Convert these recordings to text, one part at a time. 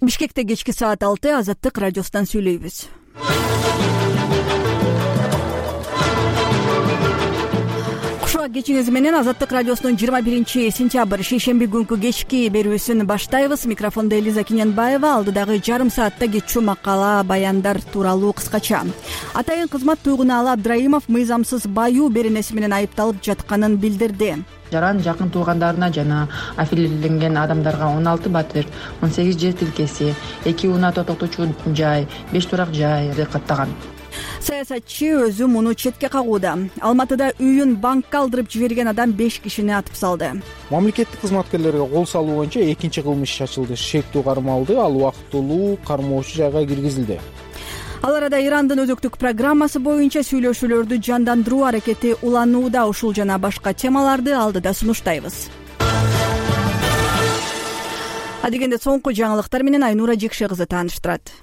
Бишкекте кечки саат 6 Азаттык радиосунан сүйлөйбүз. Кушуак кечиңиз менен Азаттык радиосунун 21-сентябрь шейшемби күнкү кечки берүүсүн баштайбыз. Микрофондо Элиза Киненбаева. Алдыдагы жарым саатта кетчү макала, баяндар тууралуу кыскача. Атайын кызмат туйгунаалы Абдраимов мыйзамсыз баюу беренеси менен айыпталып жатканын билдирди. Жаран жакын туугандарына жана аффилирленген адамдарга 16 батир, 18 жер тилкеси, 2 унаа токтотуучу жай, 5 турак жайды каттаган. Саясатчы өзү муну четке кагууда. Алматыда үйүн банкка алдырып жиберген адам 5 кишини атып салды. Мамлекеттик кызматкерлерге кол салуу боюнча экинчи кылмыш иш ачылды. Шектүү кармалды, ал убактылуу кармоочу жайга киргизилди. Ал арада Ирандын өзөктүк программасы боюнча сүйлөшүүлөрдү жандандыруу аракети уланууда. Ушул жана башка темаларды алдыда сунуштайбыз. Адегенде соңку жаңылыктар менен Айнура Жекше кызы тааныштырат.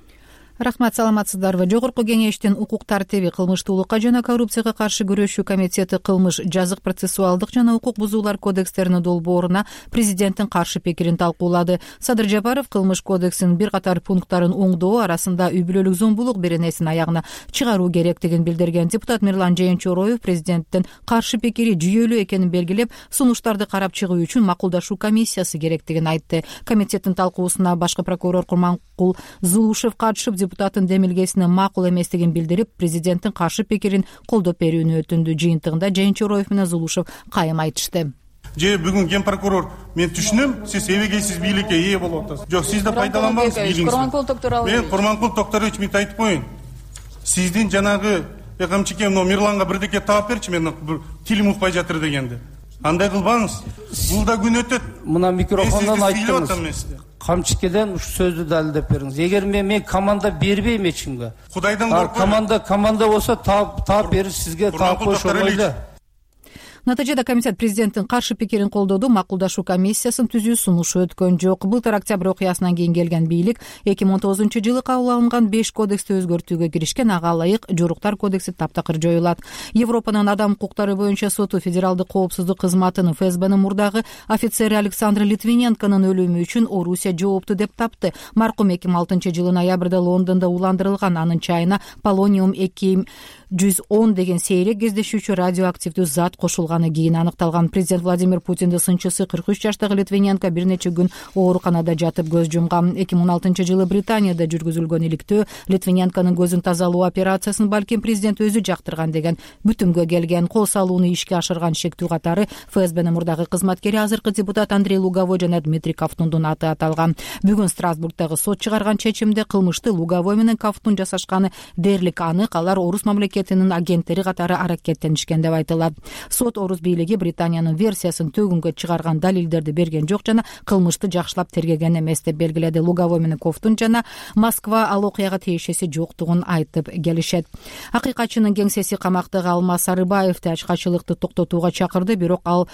Рахмат, саламатсыздарбы. Жогорку кеңештин укук тартиби, кылмыштуулукка жана коррупцияга каршы күрөшүү комитети кылмыш, жазык процессуалдык жана укук бузуулар кодекстеринин долбооруна президенттин каршы пикирин талкуулады. Садыр Жапаров кылмыш кодексинин бир катар пункттарын оңдоо арасында үй бүлөлүк зомбулук беренесин аягына чыгаруу керектигин билдирген. Депутат Мирлан Жээнчороев президенттин каршы пикири жүйөлүү экенин белгилеп, сунуштарды карап чыгуу үчүн макулдашуу комиссиясы керектигин айтты. Комитеттин талкуусуна башкы прокурор Курманкул Зулушев катышып, депутаттын демилгесине макул эместигин билдирип, президенттин каршы пикирин колдоп берүүнү өтүндү. Жыйынтыгында Жээнчороев менен Зулушев кайым айтышты. Бүгүн ген прокурор, мен түшүнөм, сиз эбегейсиз бийликке ээ болуп атасыз. Жок, сиз да пайдаланбаңыз бийлигиңизди. Мен Курманкул Токторович, мен айтып коеюн. Сиздин жанагы камчыке Мирланга бирдеке таап берчи, мен тилим укпай жатыр дегенди. Андай кылбаңыз. Бул да күн өтөт. Мына микрофондон айттыңыз. Камчыкеден ушу сөздү далилдеп бериңиз. Эгер мен команда бербейм эч кимге. Кудайдан коркпойм. Команда болсо таап бериш сизге таап коюш оңой. Натыйжада комитет президенттин каршы пикирин колдоду. Макулдашуу комиссиясынын түзүү сунушу өткөн жок. Былтыр октябрь окуясынан кийин келген бийлик 2019-жылы кабыл алынган 5 кодексти өзгөртүүгө киришкен. Ага ылайык жоруктар кодекси таптакыр жоюлат. Европанын адам укуктары боюнча соту федералдык коопсуздук кызматынын ФСБнын мурдагы офицери Александр Литвиненконун өлүмү үчүн Орусия жоопту деп тапты. Маркум 2006-жылы ноябрда Лондондо уландырылган. Анын чайына полониум 210 деген сейрек кездешүүчү радиоактивдүү зат кошулган. Кийин аныкталган. Президент Владимир Путиндин сынчысы 43 жаштагы Литвиненко бир нече күн ооруканада жатып көз жумган. 2016-жылы Британияда жүргүзүлгөн иликтөө Литвиненконун көзүн тазалоо операциясын балким президент өзү жактырган деген бүтүмгө келген. Кол салууну ишке ашырган шектүү катары ФСБнын мурдагы кызматкери, азыркы депутат Андрей Луговой жана Дмитрий Ковтундун аты аталган. Бүгүн Страсбургдагы сот чыгарган чечимде кылмышты Луговой менен Ковтун жасашканы дээрлик анык. Алар орус мамлекетинин агенттери катары аракеттенишкен деп айтылат. Сот орус бийлиги Британиянын версиясын төгүнгө чыгарган далилдерди берген жок жана кылмышты жакшылап тергеген эмес деп белгиледи. Луговой менен Ковтун жана Москва ал окуяга тиешеси жоктугун айтып келишет. Акыйкатчынын кеңсеси камактагы Алмаз Сарыбаевди ачкачылыкты токтотууга чакырды, бирок ал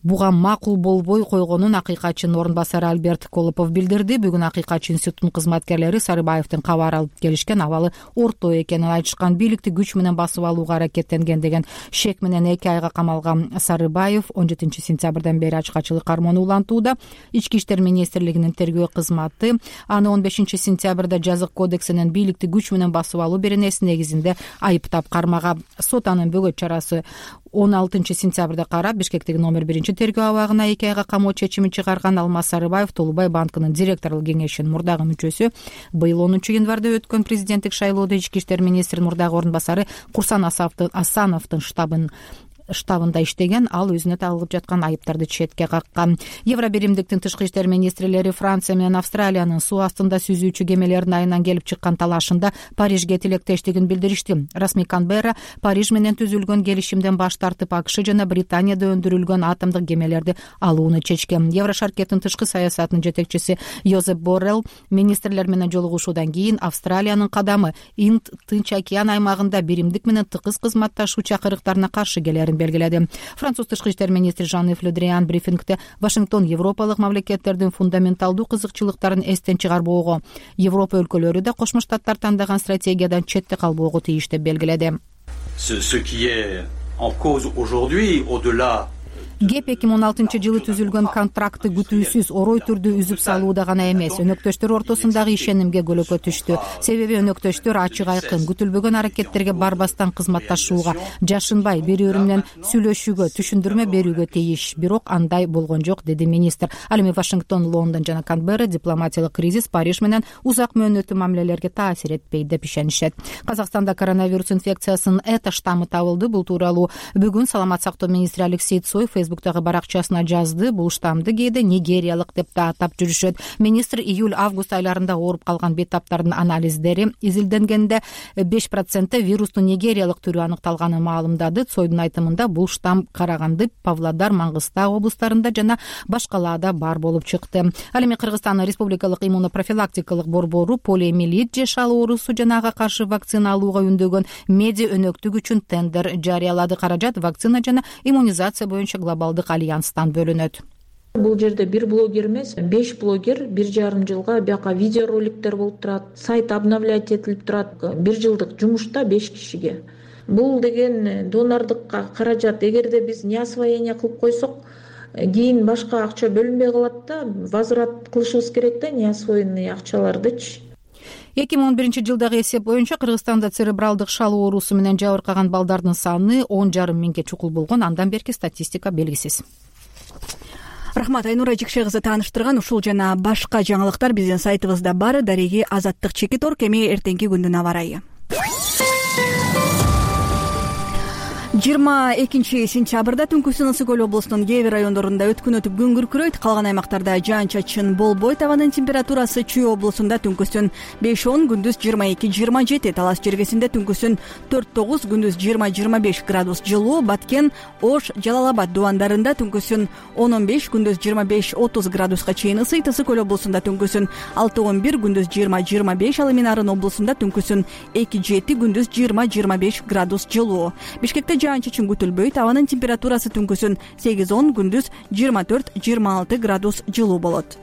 буга макул болбой койгонун акыйкатчынын орун басары Альберт Колопов билдирди. Бүгүн акыйкатчы институттун кызматкерлери Сарыбаевдин кабар алып келишкен, абалы орто экенин айтышкан. Бийликти күч менен басып алууга аракеттенген деген шек менен 2 айга камалган Сарыбаев 17 сентябрдан бери ачкачылык кармоону улантууда. Ички иштер министрлигинин тергөө кызматы аны 15 сентябрда жазык кодексинин бийликти күч менен басып алуу беренеси негизинде айыптап кармаган. Сот анын бөгөт чарасы 16 сентябрда карап, Бишкектеги номер 1 тергөө абагына 2 айга камоо чечимин чыгарган. Алмаз Сарыбаев Толубай банкынын директорлук кеңешинин мурдагы мүчөсү. Быйыл 10 январда өткөн президенттик шайлоодо ички иштер министринин мурдагы орун басары Курсан Асановдун штабында иштеген. Ал өзүнө тагылып жаткан айыптарды четке каккан. Евробиримдиктин тышкы иштер министрлери Франция менен Австралиянын суу астында сүзүүчү кемелердин айынан келип чыккан талашында Парижге тилектештигин билдиришти. Расмий Канберра Париж менен түзүлгөн келишимден баш тартып, АКШ жана Британияда өндүрүлгөн атомдук кемелерди алууну чечкен. Еврошаркеттин тышкы саясатынын жетекчиси Йозеп Боррелл министрлер менен жолугушуудан кийин Австралиянын кадамы Инд-Тынч океан аймагында биримдик менен тыгыз кызматташуу чакырыктарына каршы келерин белгиледи. Француз тышкы иштер министри Жан-Ив Ле Дриан брифингде Вашингтон европалык мамлекеттердин фундаменталдуу кызыкчылыктарын эстен чыгарбоого, Европа өлкөлөрү да Кошмо Штаттар тандаган стратегиядан четте калбоого тийиш деп белгиледи. кеп 2016-жылы түзүлгөн контрактты күтүүсүз орой түрдүү үзүп салууда гана эмес, өнөктөштөр ортосундагы ишенимге көлөкө түштү. Себеби өнөктөштөр ачык айкын күтүлбөгөн аракеттерге барбастан кызматташууга, жашынбай бири-бири менен сүйлөшүүгө, түшүндүрмө берүүгө тийиш. Бирок андай болгон жок, деди министр. Ал эми Вашингтон, Лондон жана Канберра дипломатиялык кризис Париж менен узак мөөнөттүү мамилелерге таасир этпейт деп ишенишет. Казакстанда коронавирус инфекциясынын эта штаммы табылды. Бул тууралуу бүгүн Саламат сактоо министри Алексей Цой Фейсбуктагы баракчасына жазды. Бул штаммды кээде нигериялык деп да атап жүрүшөт. Министр июль-август айларында ооруп калган бейтаптардын анализдери изилденгенде 5% вирустун нигериялык түрү аныкталганын маалымдады. Цойдун айтымында бул штамм Караганды, Павлодар, Маңгыстау облустарында жана башкаларда бар болуп чыкты. Ал эми Кыргызстандын республикалык иммунопрофилактикалык борбору полиомиелит же шал оорусу жана ага каршы вакцина алууга үндөгөн меди өнөктүк үчүн тендер жарыялады. Каражат вакцина жана иммунизация боюнча глобалдык альянстан бөлүнөт. Бул жерде бир блогер эмес, 5 блогер 1,5 жылга бияка видеороликтер болуп турат, сайт обновлять этилип турат. 1 жылдык жумушта 5 кишиге. Бул деген донордукка каражат. Эгерде биз неосвоение кылып койсок, кийин башка акча бөлүнбөй калат да, возврат кылышыбыз керек да неосвоенный акчалардычы. 2011-жылдагы эсеп боюнча Кыргызстанда церебралдык шал оорусу менен жабыркаган балдардын саны 10,5 миңге чукул болгон. Андан берки статистика белгисиз. Рахмат, Айнура Жикшегызы тааныштырган ушул жана башка жаңылыктар биздин сайтыбызда бар. Дареги Азаттык Чекиторг. Эми эртеңки күндүн аба ырайы. 22 сентябрда түнкүсүн Ысык Көл облусунун кээ бир райондорунда өткүн өтүп күн күркүрөйт. Калган аймактарда жаан-чачын болбойт. Абанын температурасы Чүй облусунда түнкүсүн 5-10, күндүз 22-27, Талас жергесинде түнкүсүн 4-9, күндүз 20-25 градус жылуу, Баткен, Ош, Жалал Абад дубандарында түнкүсүн 10-15, күндүз 25-30 градуска чейин ысыйт. Ысык Көл облусунда түнкүсүн 6-11, күндүз 20-25, ал эми Нарын облусунда түнкүсүн 2-7, күндүз 20-25 градус жылуу. Бишкекте жаан-чачын күтүлбөйт. Абанын температурасы түнкүсүн 8-10, күндүз 24-26 градус жылуу болот.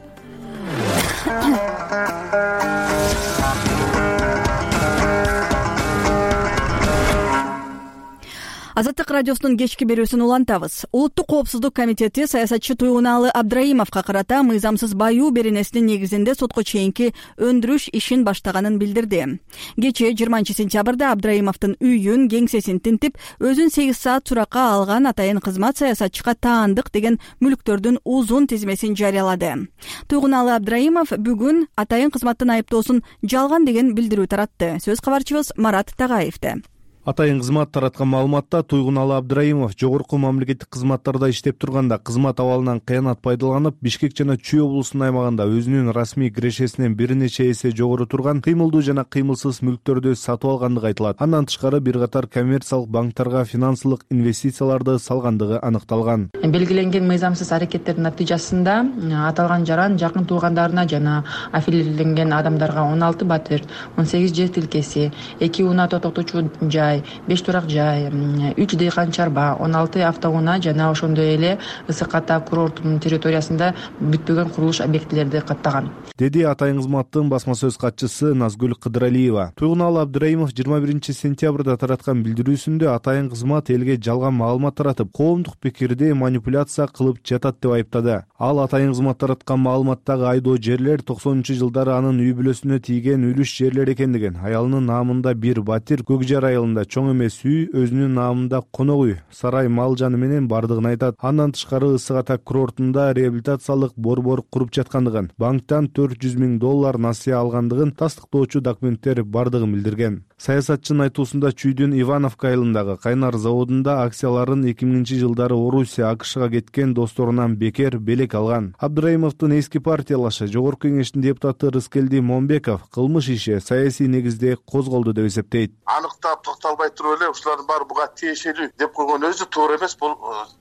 Азаттык радиосунун кечки берүүсүн улантабыз. Улуттук коопсуздук комитети саясатчы Туйгуналы Абдраимовго карата мыйзамсыз баюу беренесинин негизинде сотко чейинки өндүрүш ишин баштаганын билдирди. Кечээ 20 сентябрда Абдраимовдун үйүн, кеңсесин тинтип, өзүн 8 саат суракка алган атайын кызмат саясатчыга таандык деген мүлктөрдүн узун тизмесин жарыялады. Туйгуналы Абдраимов бүгүн атайын кызматтын айыптоосун жалган деген билдирүү таратты. Сөз кабарчыбыз Марат Тагаевде. Атайын кызмат тараткан маалыматта Туйгуналы Абдраимов жогорку мамлекеттик кызматтарда иштеп турганда кызмат абалынан кыянат пайдаланып, Бишкек жана Чүй облусунун аймагында өзүнүн расмий кирешесинен бир нече эсе жогору турган кыймылдуу жана кыймылсыз мүлктөрдү сатып алгандыгы айтылат. Андан тышкары бир катар коммерциялык банктарга финансылык инвестицияларды салгандыгы аныкталган. Белгиленген мыйзамсыз аракеттердин натыйжасында аталган жаран жакын туугандарына жана аффилирленген адамдарга 16 батир, 18 жер тилкеси, 2 унаа токтотуучу жай, 5 турак жай, 3 дыйкан чарба, 16 автоунаа жана ошондой эле Ысык Ата курортунун территориясында бүтпөгөн курулуш объектилерди каттаган, деди атайын кызматтын басма сөз катчысы Назгүл Кыдыралиева. Туйгуналы Абдраимов 21 сентябрда тараткан билдирүүсүндө атайын кызмат элге жалган маалымат таратып, коомдук пикирди манипуляция кылып жатат деп айыптады. Ал атайын кызмат тараткан маалыматтагы айдоо жерлер 90-жылдары анын үй бүлөсүнө тийген үлүш жерлер экендигин, аялынын наамында бир батир, Көкжар айылында чоң эмес үй, өзүнүн наамында конок үй, сарай, мал жаны менен бардыгын айтат. Андан тышкары Ысык Ата курортунда реабилитациялык борбор куруп жаткандыгын, банктан $400 000 насыя алгандыгын тастыктоочу документтер бардыгын билдирген. Саясатчынын айтуусунда Чүйдүн Ивановка айылындагы кайнар заводунда акцияларын 2000-жылдары Орусия, АКШга кеткен досторунан бекер белек алган. Абдраимовдун эски партиялашы Жогорку кеңештин депутаты Рыскелди Момбеков кылмыш иши саясий негизде козголду деп эсептейт. Аныктап токтолбой туруп эле ушулардын баары буга тиешелүү деп койгон өзү туура эмес. Бул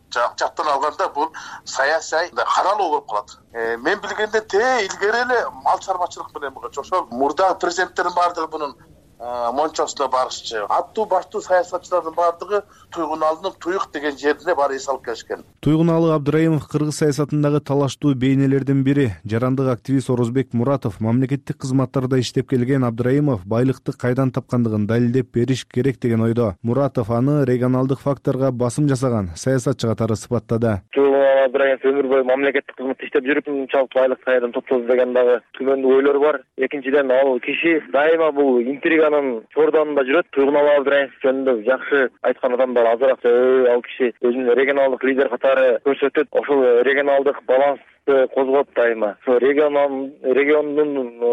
жактан алганда бул саясий каралуу болуп калат. Мен билгенден илгери эле мал чарбачылык менен ошол мурдагы президенттердин баардыгы мунун мончосуна барышчы. Аттуу баштуу саясатчылардын баардыгы Туйгуналдын Туйук деген жерине барып эс алып келишкен. Туйгуналы Абдыраимов кыргыз саясатындагы талаштуу бейнелердин бири. Жарандык активист Орозбек Муратов мамлекеттик кызматтарда иштеп келген Абдыраимов байлыкты кайдан тапкандыгын далилдеп бериш керек деген ойдо. Муратов аны регионалдык факторго басым жасаган саясатчы катары сыпаттады. Абдыраимов өмүр бою мамлекеттик кызматта иштеп жүрүп, мынчалык байлык кайдан топтоду деген дагы түмөндүү ойлор бар. Экинчиден, ал киши дайыма бул интриганын чордонунда жүрөт. Туйгуналы Абдыраимов жөнүндө жакшы айткан адамдар азыраак, ал киши өзүн регионалдык лидер катары көрсөтөт. Ошол регионалдык баланс козгоп дайыма. Региондун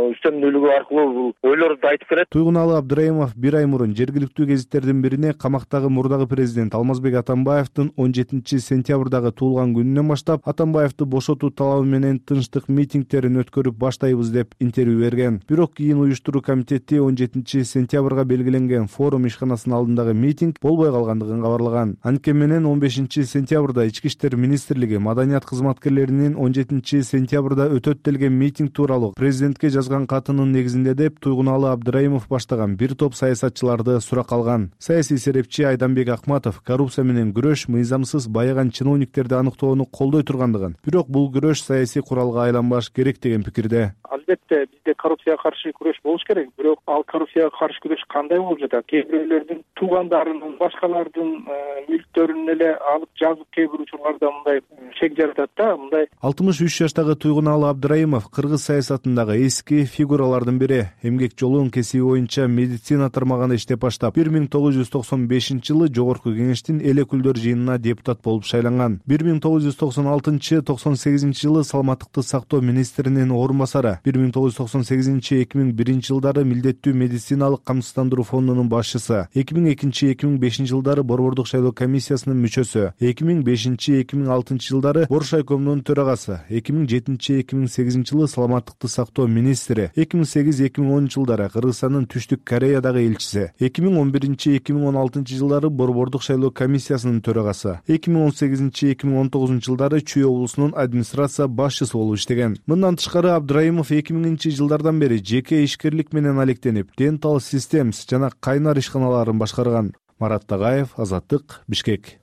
үстөмдүүлүгү аркылуу ойлорду айтып келет. Туйгуналы Абдыраимов бир ай мурун жергиликтүү гезиттердин бирине камактагы мурдагы президент Алмазбек Атамбаевдин 17 сентябрдагы туулган күнүнөн баштап Атамбаевди бошотуу талабы менен тынчтык митингдерин өткөрүп баштайбыз деп интервью берген. Бирок кийин уюштуруу комитети 17 сентябрга белгиленген форум ишканасынын алдындагы митинг болбой калгандыгын кабарлаган. Анткени менен 15 сентябрда Ички иштер министрлиги маданият кызматкерлеринин 17 сентябрда өтөт делген митинг тууралуу президентке жазган катынын негизинде деп Туйгуналы Абдыраимов баштаган бир топ саясатчыларды суракка алган. Саясий серепчи Айданбек Акматов коррупция менен күрөш мыйзамсыз байыган чиновниктерди аныктоону колдой тургандыгын, бирок бул күрөш саясий куралга айланбаш керек деген пикирде. Албетте бизде коррупцияга каршы күрөш болуш керек, бирок ал коррупцияга каршы күрөш кандай болуп жатат? Кээ бирөөлөрдүн туугандарынын, башкалардын мүлктөрүн эле алып жазып кээ бир учурларда мындай шек жаратат да, мындай. 63 жаштагы Туйгуналы Абдыраимов кыргыз саясатындагы эски фигуралардын бири. Эмгек жолун кесиби боюнча медицина тармагында иштеп баштап, 1995-жылы Жогорку Кеңештин эл өкүлдөр жыйынына депутат болуп шайланган. 1996-98-жылы саламаттыкты сактоо министринин орун басары, 1998-2001 жылдары милдеттүү медициналык камсыздандыруу фондунун башчысы, 2002-2005 жылдары Борбордук шайлоо комиссиясынын мүчөсү, 2005-2006 жылдары Боршайкомдун төрагасы, 2007-2008 жылы саламаттыкты сактоо министри, 2008-2010 жылдары Кыргызстандын Түштүк Кореядагы элчиси, 2011-2016 жылдары Борбордук шайлоо комиссиясынын төрагасы, 2018-2019 жылдары Чүй облусунун администрация башчысы болуп иштеген. Мындан тышкары Абдыраимов 2000 жылдардан бери жеке ишкерлик менен алектенип, Dental Systems жана Кайнар ишканаларын башкарган. Марат Тагаев, Азаттык, Бишкек.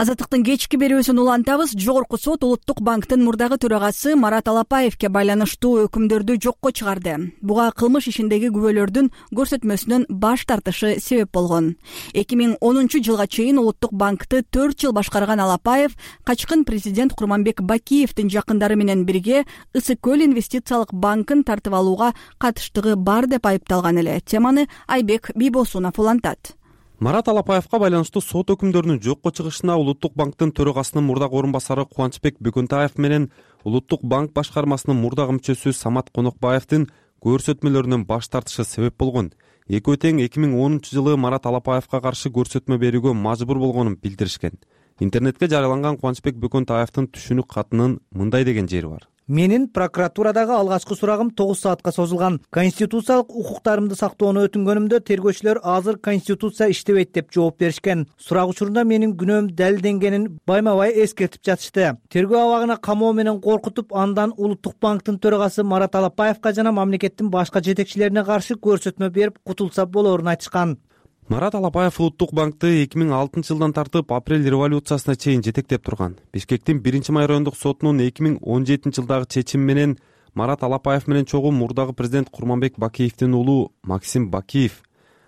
Азаттыктын кечки берүүсүн улантабыз. Жогорку сот Улуттук банктын мурдагы төрагасы Марат Алапаевке байланыштуу өкүмдөрдү жокко чыгарды. Буга кылмыш ишиндеги күбөлөрдүн көрсөтмөсүнөн баш тартышы себеп болгон. 2010 жылга чейин Улуттук банкты 4 жыл башкарган Алапаев качкын президент Курманбек Бакиевдин жакындары менен бирге Ысык көл инвестициялык банкын тартып алууга катыштыгы бар деп айыпталган эле. Теманы Айбек Бийбосунов улантат. Марат Алапаевка байланыштуу сот өкүмдөрүнүн жокко чыгышына Улуттук банктын төрагасынын мурдагы орун басары Кубанычбек Бөкөнтаев менен Улуттук банк башкармасынын мурдагы мүчөсү Самат Конокбаевдин көрсөтмөлөрүнөн баш тартышы себеп болгон. Экөө тең 2010 жылы Марат Алапаевка каршы көрсөтмө берүүгө мажбур болгонун билдиришкен. Интернетке жарыяланган Кубанычбек Бөкөнтаевдин түшүнүк катынын мындай деген жери бар. Менин прокуратурадагы алгачкы сурагым 9 саатка созулган. Конституциялык укуктарымды сактоону өтүнгөнүмдө тергөөчүлөр азыр конституция иштебейт деп жооп беришкен. Сурак учурунда менин күнөөм далилденгенин байма-бай эскертип жатышты. Тергөө абагына камоо менен коркутуп, андан Улуттук банктын төрагасы Марат Алапаевка жана мамлекеттин башка жетекчилерине каршы көрсөтмө берип кутулса болорун айтышкан. Марат Алапаев Улуттук банкты 2006 жылдан тартып апрель революциясына чейин жетектеп турган. Бишкектин 1-май райондук сотунун 2017 жылдагы чечими менен Марат Алапаев менен чогуу мурдагы президент Курманбек Бакиевдин уулу Максим Бакиев,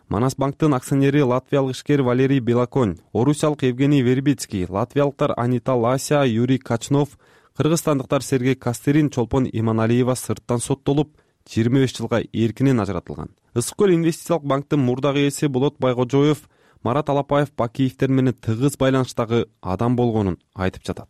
Манас банктын акционери латвиялык ишкер Валерий Белоконь, орусиялык Евгений Вербицкий, латвиялыктар Анита Лася, Юрий Качнов, кыргызстандыктар Сергей Кастерин, Чолпон Иманалиева сырттан соттолуп 25 жылга эркинен ажыратылган. Ысык көл инвестициялык банктын мурдагы ээси Болот Байгожоев Марат Алапаев Бакиевдер менен тыгыз байланыштагы адам болгонун айтып жатат.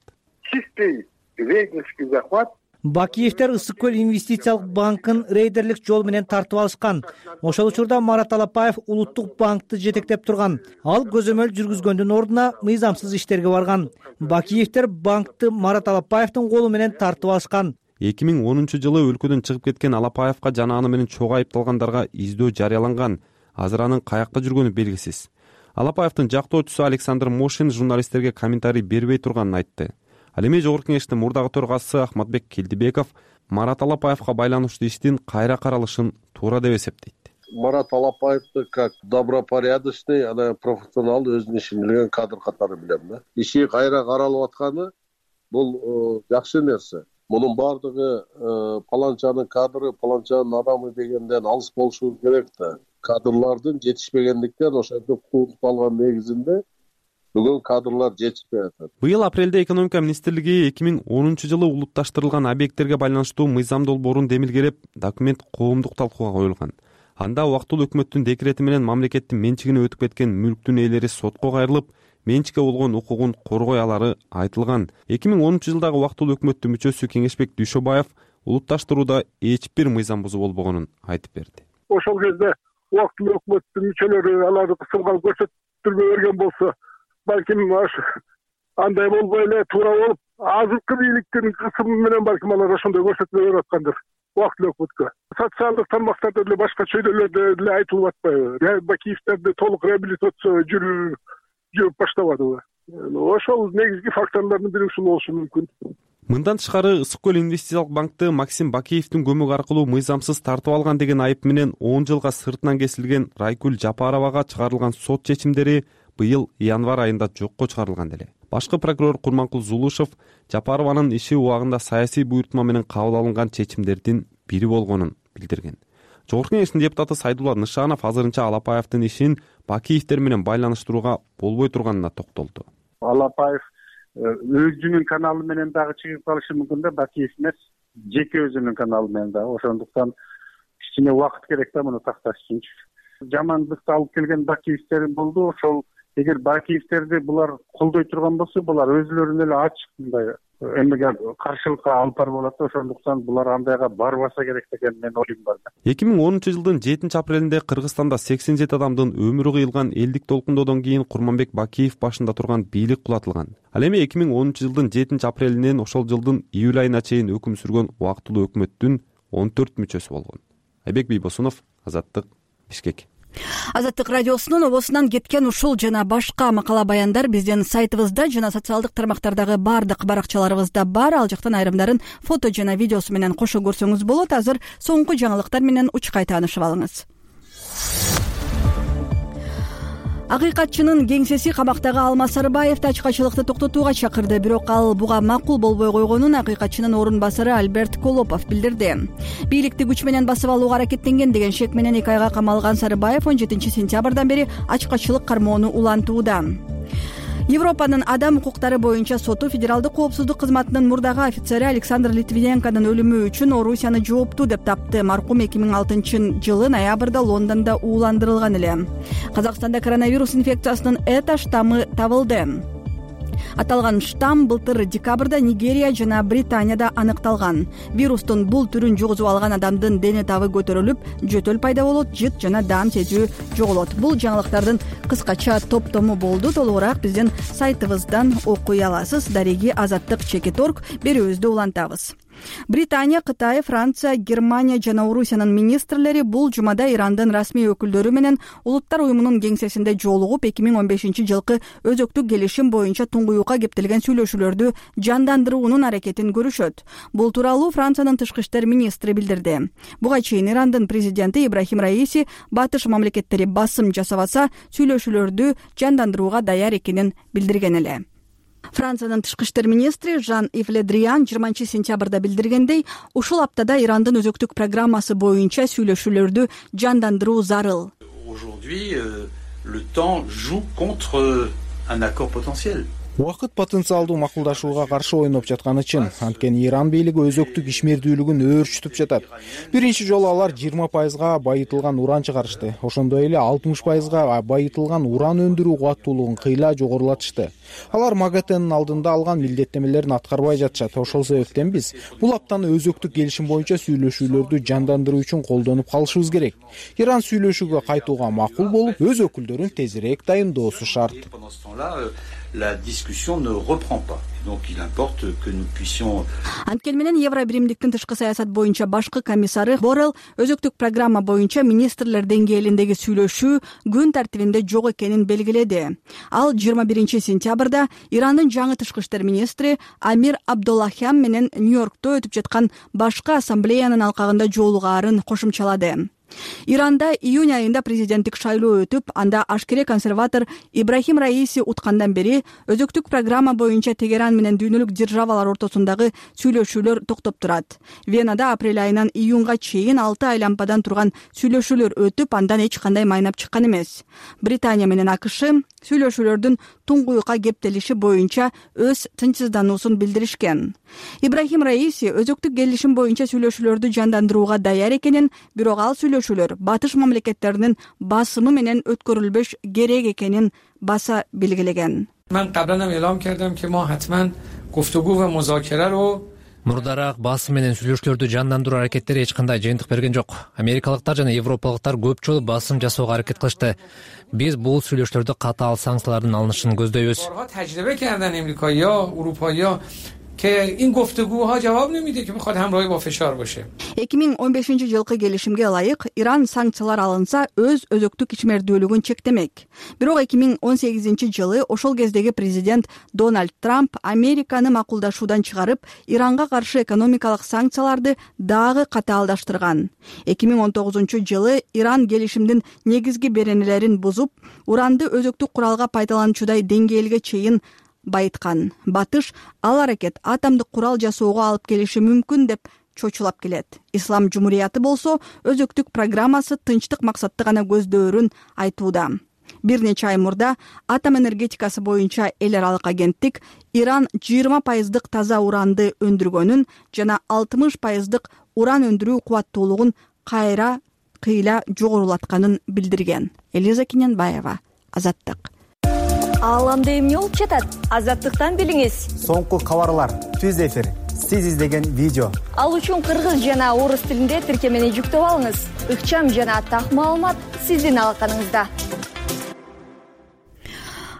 Бакиевдер Ысык көл инвестициялык банкын рейдерлик жол менен тартып алышкан. Ошол учурда Марат Алапаев Улуттук банкты жетектеп турган. Ал көзөмөл жүргүзгөндүн ордуна мыйзамсыз иштерге барган. Бакиевдер банкты Марат Алапаевдин колу менен тартып алышкан. 2010 жылы өлкөдөн чыгып кеткен Алапаевка жана аны менен чогуу айыпталгандарга издөө жарыяланган. Азыр анын каякта жүргөнү белгисиз. Алапаевдин жактоочусу Александр Мошин журналисттерге комментарий бербей турганын айтты. Ал эми Жогорку Кеңештин мурдагы төрагасы Ахматбек Келдибеков Марат Алапаевга байланыштуу иштин кайра каралышын туура деп эсептейт. Марат Алапаевди как добропорядочный, профессионал, өзүнүн ишин билген кадр катары билем да. Иши кайра каралып атканы бул жакшы нерсе. Мунун баардыгы паланчанын кадры, паланчанын адамы дегенден алыс болушу керек да. Кадрлардын жетишпегендиктен ошентип кууп калган негизинде бүгүн кадрлар жетишпей атат. Быйыл апрелде экономика министрлиги 2010-жылы улутташтырылган объекттерге байланыштуу мыйзам долбоорун демилгелеп, документ коомдук талкууга коюлган. Анда убактылуу өкмөттүн декрети менен мамлекеттин менчигине өтүп кеткен мүлктүн ээлери сотко кайрылып, менчикке болгон укугун коргой алары айтылган. 2010-жылдагы убактылуу өкмөттүн мүчөсү Кеңешбек Дүйшөбаев улутташтырууда эч бир мыйзам бузуу болбогонун айтып берди. Ошол кезде убактылуу өкмөттүн мүчөлөрү аларды кысылган көрсөтүлбөй берген болсо, балким андай болбой эле туура болуп, азыркы бийликтин кысымы менен балким алар ошондой көрсөтмө берип аткандыр. Убактылуу өкмөткө социалдык тармактарда деле башка чөйрөлөрдө деле айтылып атпайбы? Бакиевдерди толук реабилитация жүрүп баштабадыбы? Ошол негизги факторлордун бири ушул болушу мүмкүн. Мындан тышкары Ысык көл инвестициялык банкты Максим Бакиевдин көмөк аркылуу мыйзамсыз тартып алган деген айып менен 10 жылга сыртынан кесилген Райкүл Жапаровага чыгарылган сот чечимдери быйыл январь айында жокко чыгарылган эле. Башкы прокурор Курманкул Зулушев Жапарованын иши убагында саясий буйртма менен кабыл алынган чечимдердин бири болгонун билдирген. Жогорку Кеңештин депутаты Сайдулла Нышанов азырынча Алапаевдин ишин Бакиевдер менен байланыштырууга болбой турганына токтолду. Алапаев өзүнүн каналы менен дагы чыгып калышы мүмкүн да, Бакиев эмес, жеке өзүнүн каналы менен дагы. Ошондуктан кичине убакыт керек да муну такташ үчүнчү. Жамандыкты алып келген Бакиевдер болду. Ошол эгер Бакиевдерди булар колдой турган болсо, булар өзүлөрүнө эле ачык мындай эмеге каршылыкка алып барып алат. Ошондуктан булар андайга барбаса керек деген менин оюм бар. 2010-жылдын 7-апрелинде Кыргызстанда 87 адамдын өмүрү кыйылган элдик толкундоодон кийин Курманбек Бакиев башында турган бийлик кулатылган. Ал эми 2010-жылдын 7-апрелинен ошол жылдын июль айына чейин өкүм сүргөн убактылуу өкмөттүн 14 мүчөсү болгон. Айбек Бийбосунов, Азаттык, Бишкек. Азаттык радиосунун обосунан кеткен ушул жана башка макала баяндар биздин сайтыбызда жана социалдык тармактардагы бардык баракчаларыбызда бар. Ал жактан айрымдарын фото жана видеосу менен кошо көрсөңүз болот. Азыр соңку жаңылыктар менен учкай таанышып алыңыз. Акыйкатчынын кеңсеси камактагы Алмаз Сарыбаевди ачкачылыкты токтотууга чакырды, бирок ал буга макул болбой койгонун акыйкатчынын орун басары Альберт Колопов билдирди. Бийликти күч менен басып алууга аракеттенген деген шек менен 2 айга камалган Сарыбаев 17-сентябрдан бери ачкачылык кармоону улантууда. Европанын адам укуктары боюнча соту федералдык коопсуздук кызматынын мурдагы офицери Александр Литвиненконун өлүмү үчүн Орусияны жооптуу деп тапты. Маркум 2006-жылы ноябрда Лондондо ууландырылган эле. Казакстанда коронавирус инфекциясынын Эта штаммы табылды. Аталган штамм былтыр декабрда Нигерия жана Британияда аныкталган. Вирустун бул түрүн жугузуп алган адамдын дене табы көтөрүлүп, жөтөл пайда болот, жыт жана даам сезүү жоголот. Бул жаңылыктардын кыскача топтому болду. Толугураак биздин сайтыбыздан окуй аласыз. Дареги Азаттык.org берүүбүздү улантабыз. Британия, Кытай, Франция, Германия жана Орусиянын министрлери бул жумада Ирандын расмий өкүлдөрү менен Улуттар уюмунун кеңсесинде жолугуп 2015-жылкы өзөктүк келишим боюнча туңгуюкка кептелген сүйлөшүүлөрдү жандандыруунун аракетин көрүшөт. Бул тууралуу Франциянын тышкы иштер министри билдирди. Буга чейин Ирандын президенти Ибрахим Раиси батыш мамлекеттери басым жасабаса сүйлөшүүлөрдү жандандырууга даяр экенин билдирген эле. Франциянын тышкы иштер министри Жан-Ив Ле Дриан 20-сентябрда билдиргендей, ушул аптада Ирандын өзөктүк программасы боюнча сүйлөшүүлөрдү жандандыруу зарыл. Aujourd'hui, le temps joue contre un accord potentiel. Убакыт потенциалдуу макулдашууга каршы ойноп жатканы чын. Анткени Иран бийлиги өзөктүк ишмердүүлүгүн өөрчүтүп жатат. Биринчи жолу алар 20% байытылган уран чыгарышты. Ошондой эле 60% байытылган уран өндүрүү кубаттуулугун кыйла жогорулатышты. Алар МАГАТЭнин алдында алган милдеттенмелерин аткарбай жатышат. Ошол себептен биз бул аптаны өзөктүк келишим боюнча сүйлөшүүлөрдү жандандыруу үчүн колдонуп калышыбыз керек. Иран сүйлөшүүгө кайтууга макул болуп, өз өкүлдөрүн тезирээк дайындоосу шарт. La discussion ne reprend pas. Donc il importe que nous puissions. Анткени менен Евро биримдиктин тышкы саясат боюнча башкы комиссары Боррелл өзөктүк программа боюнча министрлер деңгээлиндеги сүйлөшүү күн тартибинде жок экенин белгиледи. Ал 21 сентябрда Ирандын жаңы тышкы иштер министри Амир Абдуллахян менен Нью-Йоркто өтүп жаткан башкы ассамблеянын алкагында жолугаарын кошумчалады. Иранда июнь айында президенттик шайлоо өтүп, анда ашкере консерватор Ибрахим Раиси уткандан бери өзөктүк программа боюнча Тегеран менен дүйнөлүк державалар ортосундагы сүйлөшүүлөр токтоп турат. Венада апрель айынан июнга чейин 6 айлампадан турган сүйлөшүүлөр өтүп, андан эч кандай майнап чыккан эмес. Британия менен АКШ сүйлөшүүлөрдүн туңгуюкка кептелиши боюнча өз тынчсыздануусун билдиришкен. Ибрахим Раиси өзөктүк келишим боюнча сүйлөшүүлөрдү жандандырууга даяр экенин, бирок ал сүйлөшүүлөр батыш мамлекеттеринин басымы менен өткөрүлбөш керек экенин баса белгилеген. Мен кабдан элом кардым ки мо хатман гуфтугу ва музокира ро мурдараак басым менен сүйлөшүүлөрдү жандандыруу аракеттери эч кандай жыйынтык берген жок. Америкалыктар жана европалыктар көп жолу басым жасоого аракет кылышты. Биз бул сүйлөшүүлөрдө катаал санкциялардын алынышын көздөйбүз. Тажрибе кардан Америкая, Европая که این گفتگوها جواب نمیده که میخواد همراهی با فشار باشه. 2015-жылкы келишимге ылайык Иран санкциялар алынса өз өзөктүк ичмердүүлүгүн чектемек. Бирок 2018-жылы ошол кездеги президент Дональд Трамп Американы макулдашуудан чыгарып, Иранга каршы экономикалык санкцияларды дагы катаалдаштырган. 2019-жылы Иран келишимдин негизги беренелерин бузуп, уранды өзөктүк куралга пайдалануучудай деңгээлге чейин байыткан. Батыш ал аракет атомдук курал жасоого алып келиши мүмкүн деп чочулап келет. Ислам Жумурияты болсо өзөктүк программасы тынчтык максатты гана көздөөрүн айтууда. Бир нече ай мурда атом энергетикасы боюнча эл аралык агенттик Иран 20% таза уранды өндүргөнүн жана 60% уран өндүрүү кубаттуулугун кыйла жогорулатканын билдирген. Элиза Киненбаева, Азаттык. Ааламда эмне болуп жатат? Азаттыктан билиңиз. Соңку кабарлар, түз эфир, сиз издеген видео. Ал үчүн кыргыз жана орус тилинде тиркемени жүктөп алыңыз. Ыкчам жана так маалымат сиздин алаканыңызда.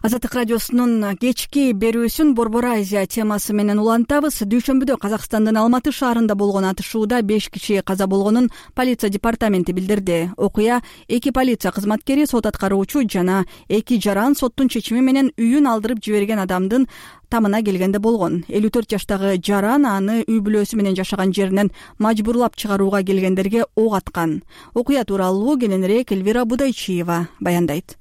Азаттык радиосунун кечки берүүсүн Борбор Азия темасы менен улантабыз. Дүйшөмбүдө Казакстандын Алматы шаарында болгон атышууда 5 киши каза болгонун полиция департаменти билдирди. Окуя 2 полиция кызматкери, сот аткаруучу жана 2 жаран соттун чечими менен үйүн алдырып жиберген адамдын тамына келгенде болгон. 54 жаштагы жаран аны үй бүлөсү менен жашаган жеринен мажбурлап чыгарууга келгендерге ок аткан. Окуя тууралуу кененирээк Элвира Будайчиева баяндайт.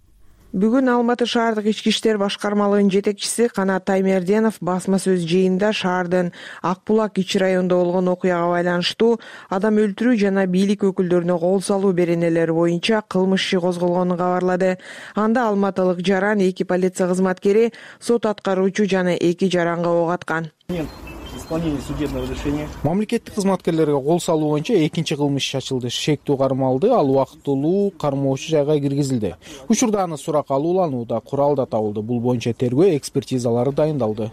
Бүгүн Алматы шаардык ички иштер башкармалыгынын жетекчиси Канат Таймерденов басма сөз жыйында шаардын Акбулак ичи районунда болгон окуяга байланыштуу адам өлтүрүү жана бийлик өкүлдөрүнө кол салуу беренелери боюнча кылмыш иши козголгонун кабарлады. Анда алматылык жаран, 2 полиция кызматкери, сот аткаруучу жана 2 жаранга ок аткан. Мамлекеттик кызматкерлерге кол салуу боюнча экинчи кылмыш иши ачылды. Шектүү кармалды, ал убактылуу кармоочу жайга киргизилди. Учурда аны сурак алууланууда, курал да табылды. Бул боюнча тергөө экспертизалары дайындалды,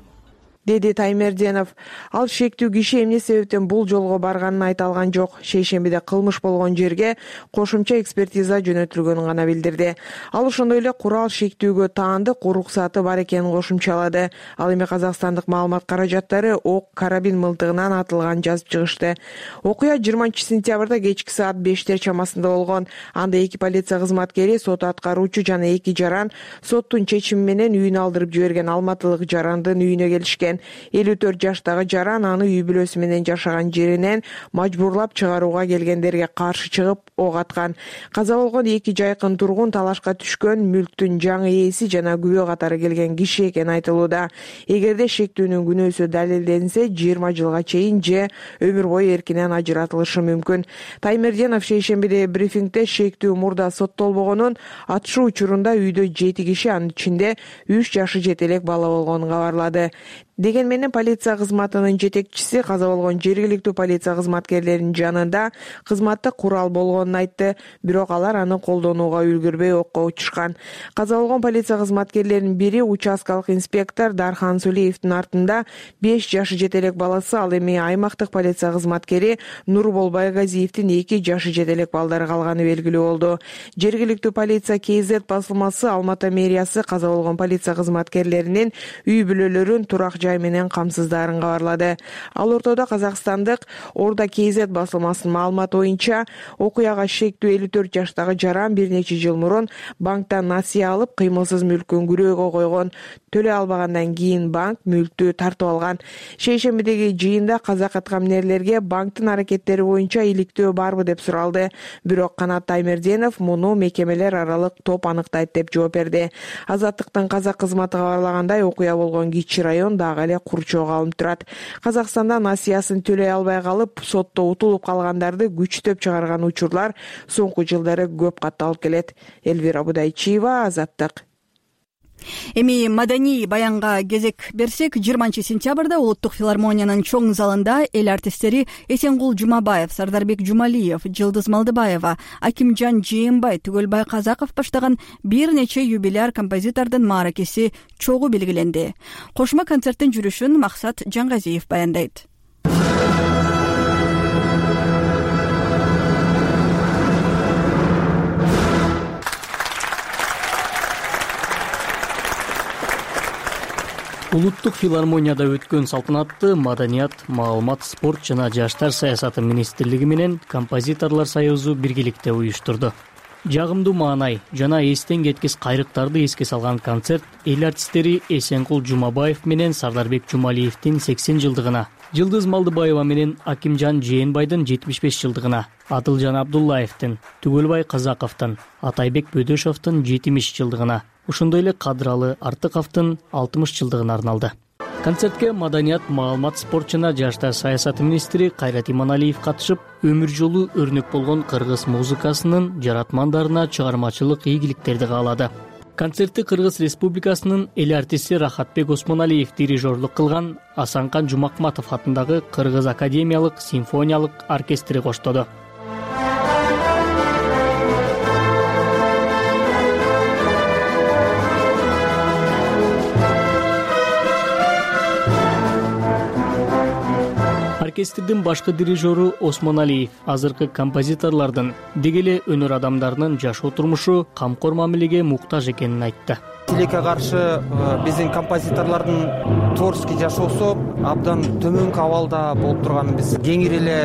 деди Таймерденов. Ал шектүү киши эмне себептен бул жолго барганын айта алган жок. Шейшембиде кылмыш болгон жерге кошумча экспертиза жөнөтүлгөнүн гана билдирди. Ал ошондой эле курал шектүүгө таандык уруксаты бар экенин кошумчалады. Ал эми казакстандык маалымат каражаттары ок карабин мылтыгынан атылган жазып чыгышты. Окуя 20 сентябрда кечки саат 5 чамасында болгон. Анда 2 полиция кызматкери, сот аткаруучу жана 2 жаран соттун чечими менен үйүн алдырып жиберген алматылык жарандын үйүнө келишкен. 54 жаштагы жаран аны үй бүлөсү менен жашаган жеринен мажбурлап чыгарууга келгендерге каршы чыгып ок аткан. Каза болгон 2 жайкын тургун талашка түшкөн, мүлктүн жаңы ээси жана күбө катары келген киши экени айтылууда. Эгерде шектүүнүн күнөөсү далилденсе, 20 жылга чейин же өмүр бою эркинен ажыратылышы мүмкүн. Таймерденов шейшембиде брифингде шектүү мурда соттолбогонун, атышуу учурунда үйдө 7 киши, анын ичинде 3 жашы жетелек бала болгонун кабарлады. Деген менен полиция кызматынын жетекчиси каза болгон жергиликтүү полиция кызматкерлеринин жанында кызматтык курал болгонун айтты, бирок алар аны колдонууга үлгүрбөй окко учушкан. Каза болгон полиция кызматкерлеринин бири участкалык инспектор Дархан Сулиевдин артында 5 жашы жетелек баласы, ал эми аймактык полиция кызматкери Нурбол Байгазиевдин 2 жашы жетелек балдары калганы белгилүү болду. Жергиликтүү полиция KZ басылмасы Алматы мэриясы каза болгон полиция кызматкерлеринин үй бүлөлөрүн турак жай менен камсыздарын кабарлады. Ал ортодо казакстандык Орда KZ басылмасынын маалыматы боюнча окуяга шектүү 54 жаштагы жаран бир нече жыл мурун банктан насыя алып, кыймылсыз мүлкүн күрөөгө койгон. Төлөй албагандан кийин банк мүлктү тартып алган. Шейшембидеги жыйында казак аткаминерлерге банктын аракеттери боюнча иликтөө барбы деп суралды. Бирок Канат Таймерденов муну мекемелер аралык топ аныктайт деп жооп берди. Азаттыктын казак кызматы кабарлагандай, окуя болгон Кичи район дагы эле курчоого алынып турат. Казакстанда насыясын төлөй албай калып, сотто утулуп калгандарды күчтөп чыгарган учурлар соңку жылдары көп катталып келет. Элвира Будайчиева, Азаттык. Эми маданий баянга кезек берсек, 20-сентябрда Улуттук филармониянын чоң залында эл артисттери Эсенкул Жумабаев, Сардарбек Жумалиев, Жылдыз Малдыбаева, Акимжан Жээнбай, Түгөлбай Казаков баштаган бир нече юбиляр композитордун мааракеси чогуу белгиленди. Кошмо концерттин жүрүшүн Максат Жангазиев баяндайт. Улуттук филармонияда өткөн салтанатты Маданият, маалымат, спорт жана жаштар саясаты министрлиги менен Композиторлор союзу биргеликте уюштурду. Жагымдуу маанай жана эстен кеткис кайрыктарды эске салган концерт эл артисттери Эсенкул Жумабаев менен Сардарбек Жумалиевдин 80 жылдыгына, Жылдыз Малдыбаева менен Акимжан Жээнбайдын 75 жылдыгына, Адылжан Абдуллаевдин, Түгөлбай Казаковдун, Атайбек Бөдөшовдун 70 жылдыгына, ошондой эле Кадыралы Артыковдун 60 жылдыгына арналды. Концертке Маданият, маалымат, спорт жана жаштар саясаты министри Кайрат Иманалиев катышып, өмүр жолу өрнөк болгон кыргыз музыкасынын жаратмандарына чыгармачылык ийгиликтерди каалады. Концертти Кыргыз Республикасынын эл артисти Рахатбек Осмоналиев дирижерлук кылган Асанкан Жумакматов атындагы Кыргыз академиялык симфониялык оркестри коштоду. Оркестрдин башкы дирижеру Осмоналиев азыркы композиторлордун деги эле өнөр адамдарынын жашоо турмушу камкор мамилеге муктаж экенин айтты. Тилекке каршы биздин композиторлордун творческий жашоосу абдан төмөнкү абалда болуп турганын биз кеңири эле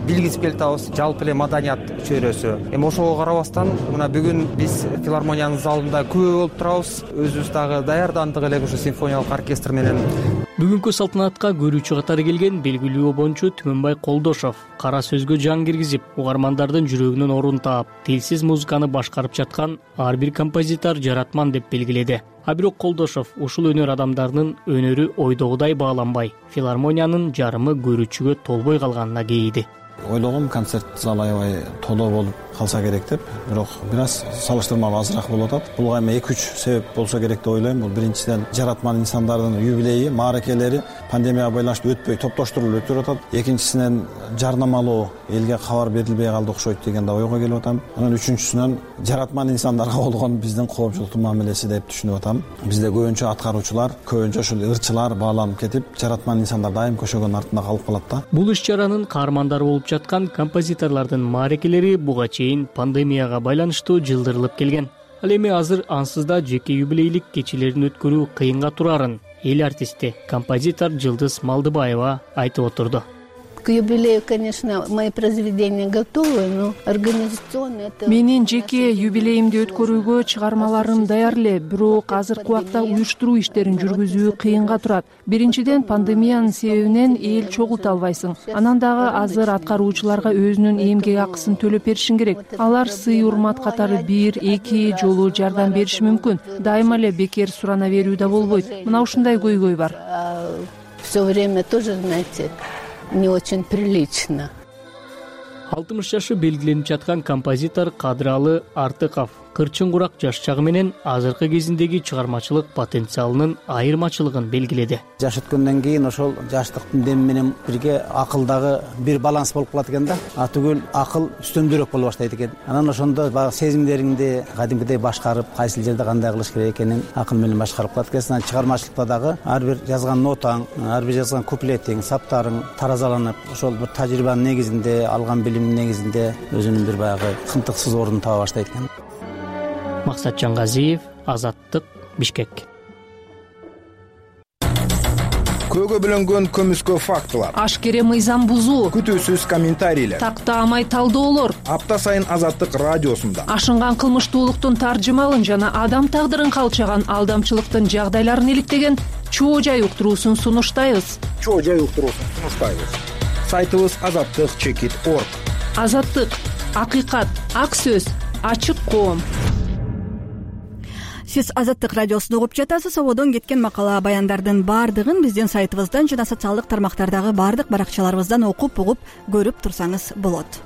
билгизип келатабыз. Жалпы эле маданият чөйрөсү. Эми ошого карабастан мына бүгүн биз филармониянын залында күбө болуп турабыз. Өзүбүз дагы даярдандык элек ушу симфониялык оркестр менен. Бүгүнкү салтанатка көрүүчү катары келген белгилүү обончу Түмөнбай Колдошов кара сөзгө жан киргизип, угармандардын жүрөгүнөн орун таап, тилсиз музыканы башкарып жаткан ар бир композитор жаратман деп белгиледи. А бирок Колдошов ушул өнөр адамдарынын өнөрү ойдогудай бааланбай, филармониянын жарымы көрүүчүгө толбой калганына кейиди. Ойлогом концерт залы аябай толо болуп калса керек деп, бирок бир аз салыштырмалуу азыраак болуп атат. Бул эми 2-3 себеп болсо керек деп ойлойм. Бул биринчиден жаратман инсандардын юбилейи, мааракелери пандемияга байланыштуу өтпөй топтоштурулуп өтүп атат. Экинчисинен жарнамалоо элге кабар берилбей калды окшойт деген да ойго келип атам. Анан үчүнчүсүнөн жаратман инсандарга болгон биздин коомчулуктун мамилеси деп түшүнүп атам. Бизде көбүнчө аткаруучулар, көбүнчө ушул ырчылар бааланып кетип, жаратман инсандар дайым көшөгөнүн артында калып калат да. Бул иш-чаранын каармандары болуп жаткан композиторлордун мааракелери буга чейин пандемияга байланыштуу жылдырылып келген. Ал эми азыр ансыз да жеке юбилейлик кечелерин өткөрүү кыйынга турарын эл артисти, композитор Жылдыз Малдыбаева айтып отурду. К юбилею, конечно, мои произведения готовы, но организационно это... Менин жеке юбилейимди өткөрүүгө чыгармаларым даяр эле, бирок азыркы убакта уюштуруу иштерин жүргүзүү кыйынга турат. Биринчиден, пандемиянын себебинен эл чогулта албайсың. Анан дагы азыр аткаруучуларга өзүнүн эмгек акысын төлөп беришиң керек. Алар сый урмат катары 1-2 жолу жардам бериши мүмкүн. Дайыма эле бекер сурана берүү да болбойт. Мына ушундай көйгөй бар. Все время тоже, знаете, не очень прилично. 60 жашы белгиленип жаткан композитор Кадыралы Артыков кырчын курак жаш чагы менен азыркы кезиндеги чыгармачылык потенциалынын айырмачылыгын белгиледи. Жаш өткөндөн кийин ошол жаштыктын деми менен бирге акылдагы бир баланс болуп калат экен да. Түгүл акыл үстөмдүүрөөк боло баштайт экен. Анан ошондо баягы сезимдериңди кадимкидей башкарып, кайсыл жерде кандай кылыш керек экенин акыл менен башкарып калат экенсиң. Анан чыгармачылыкта дагы ар бир жазган нотаң, ар бир жазган куплетиң, саптарың таразаланып, ошол бир тажрыйбанын негизинде, алган билимдин негизинде өзүнүн бир баягы кынтыксыз ордун таба баштайт экен. Максат Жангазиев, Азаттык, Бишкек. көөгө бөлөнгөн көмүскө фактылар, ашкере мыйзам бузуу, күтүүсүз комментарийлер, тактаамай талдоолор апта сайын Азаттык радиосунда ашынган кылмыштуулуктун таржымалын жана адам тагдырын калчаган алдамчылыктын жагдайларын иликтеген чоо жай уктуруусун сунуштайбыз. Сайтыбыз azattik.org. Азаттык, акыйкат, ак сөз, ачык коом. Сиз Азаттык радиосун угуп жатасыз. Ободон кеткен макала баяндардын баардыгын биздин сайтыбыздан жана социалдык тармактардагы баардык баракчаларыбыздан окуп, угуп, көрүп турсаңыз болот.